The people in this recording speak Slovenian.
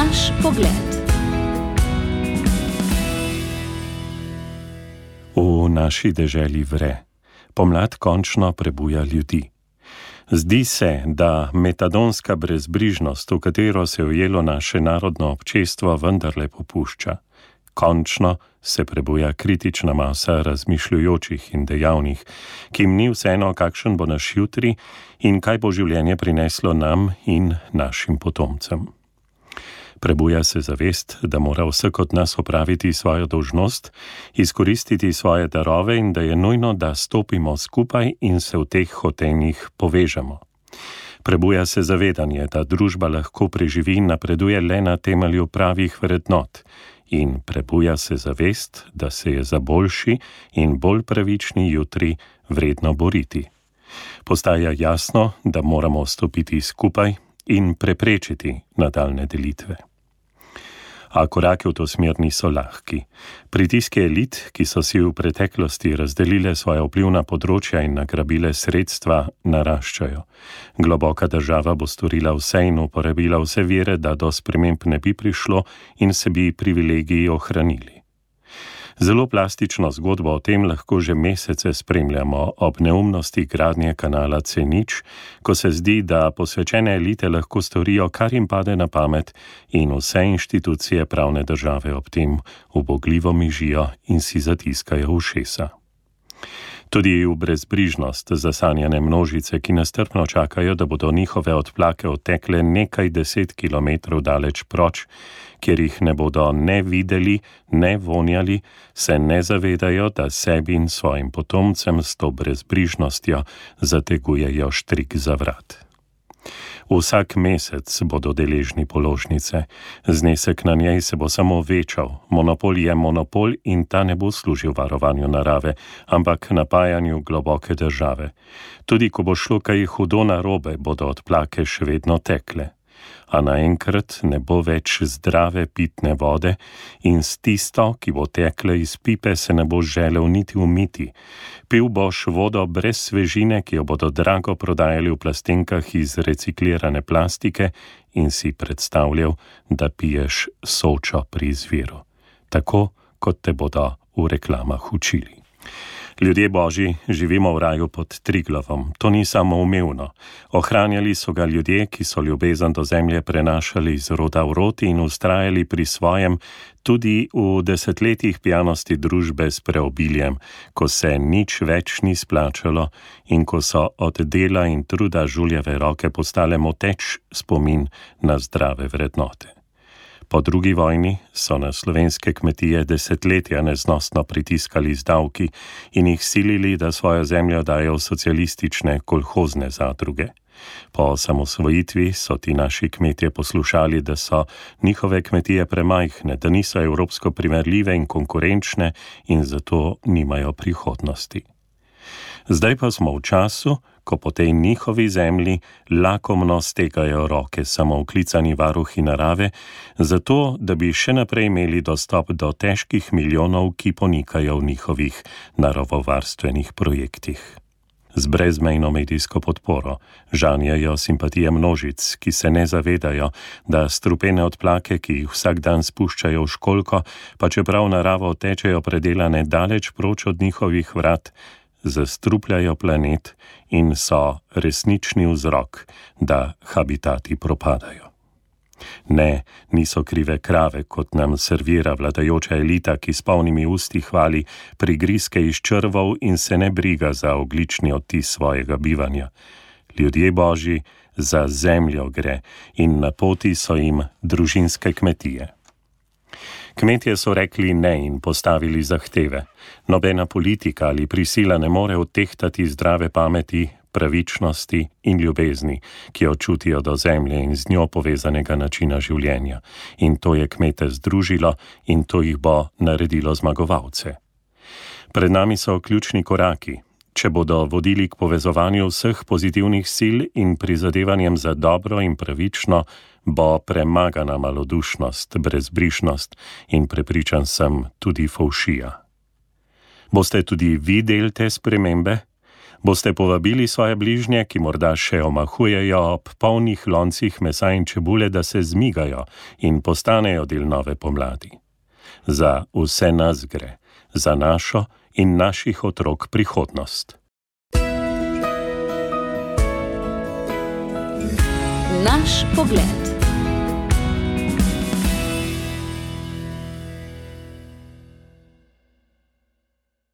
Naš pogled. V naši deželi vre. Pomlad končno prebuja ljudi. Zdi se, da metadonska brezbrižnost, v katero se je ujelo naše narodno občestvo, vendarle popušča. Končno se prebuja kritična masa razmišljujočih in dejavnih, ki jim ni vseeno, kakšen bo naš jutri in kaj bo življenje prineslo nam in našim potomcem. Prebuja se zavest, da mora vsak od nas opraviti svojo dolžnost, izkoristiti svoje darove in da je nujno, da stopimo skupaj in se v teh hotenjih povežemo. Prebuja se zavedanje, da družba lahko preživi in napreduje le na temelju pravih vrednot. In prebuja se zavest, da se je za boljši in bolj pravični jutri vredno boriti. Postaja jasno, da moramo stopiti skupaj in preprečiti nadaljne delitve. A korake v to smer niso lahki. Pritiske elit, ki so si v preteklosti razdelile svoja vplivna področja in nagrabile sredstva, naraščajo. Globoka država bo storila vse in uporabila vse vire, da do sprememb ne bi prišlo in se bi privilegiji ohranili. Zelo plastično zgodbo o tem lahko že mesece spremljamo ob neumnosti gradnje kanala C0, ko se zdi, da posvečene elite lahko storijo, kar jim pade na pamet in vse inštitucije pravne države ob tem ubogljivo mižijo in si zatiskajo ušesa. Tudi v brezbrižnost zasanjane množice, ki nestrpno čakajo, da bodo njihove odplake odtekle nekaj 10 kilometrov daleč proč, kjer jih ne bodo ne videli, ne vonjali, se ne zavedajo, da sebi in svojim potomcem s to brezbrižnostjo zategujejo štrik za vrat. Vsak mesec bodo deležni položnice, znesek na njej se bo samo večal, monopol je monopol in ta ne bo služil varovanju narave, ampak napajanju globoke države. Tudi ko bo šlo kaj hudo narobe, bodo odplake še vedno tekle. A naenkrat ne bo več zdrave pitne vode in s tisto, ki bo tekla iz pipe, se ne bo želel niti umiti. Pil boš vodo brez svežine, ki jo bodo drago prodajali v plastenkah iz reciklirane plastike in si predstavljal, da piješ Sočo pri izviru. Tako, kot te bodo v reklamah učili. Ljudje Božji, živimo v raju pod Triglavom. To ni samoumevno. Ohranjali so ga ljudje, ki so ljubezen do zemlje prenašali iz roda v rod in ustrajali pri svojem, tudi v desetletjih pijanosti družbe s preobiljem, ko se nič več ni splačalo in ko so od dela in truda žuljeve roke postale moteč spomin na zdrave vrednote. Po drugi vojni so na slovenske kmetije desetletja neznosno pritiskali z davki in jih silili, da svojo zemljo dajo v socialistične kolhozne zadruge. Po osamosvojitvi so ti naši kmetje poslušali, da so njihove kmetije premajhne, da niso evropsko primerljive in konkurenčne in zato nimajo prihodnosti. Zdaj pa smo v času, ko po tej njihovi zemlji lakomno stegajo roke samooklicani varuhi narave, zato da bi še naprej imeli dostop do težkih milijonov, ki ponikajo v njihovih naravovarstvenih projektih. Z brezmejno medijsko podporo žanjejo simpatije množic, ki se ne zavedajo, da strupene odplake, ki jih vsak dan spuščajo v školjko, pa čeprav naravo tečejo predelane daleč proč od njihovih vrat, zastrupljajo planet in so resnični vzrok, da habitati propadajo. Ne, niso krive krave, kot nam servira vladajoča elita, ki s polnimi usti hvali prigrizke iz črvov in se ne briga za ogljični odtis svojega bivanja. Ljudje Božji, za zemljo gre in na poti so jim družinske kmetije. Kmetje so rekli ne in postavili zahteve. Nobena politika ali prisila ne more odtehtati zdrave pameti, pravičnosti in ljubezni, ki jo čutijo do zemlje in z njo povezanega načina življenja. In to je kmete združilo in to jih bo naredilo zmagovalce. Pred nami so ključni koraki. Če bodo vodili k povezovanju vseh pozitivnih sil in prizadevanjem za dobro in pravično, bo premagana malodušnost, brezbrižnost in prepričan sem tudi fovšija. Boste tudi vi del te spremembe? Boste povabili svoje bližnje, ki morda še omahujejo ob polnih loncih mesa in čebule, da se zmigajo in postanejo del nove pomladi. Za vse nas gre, za našo in naših otrok prihodnost. Naš pogled.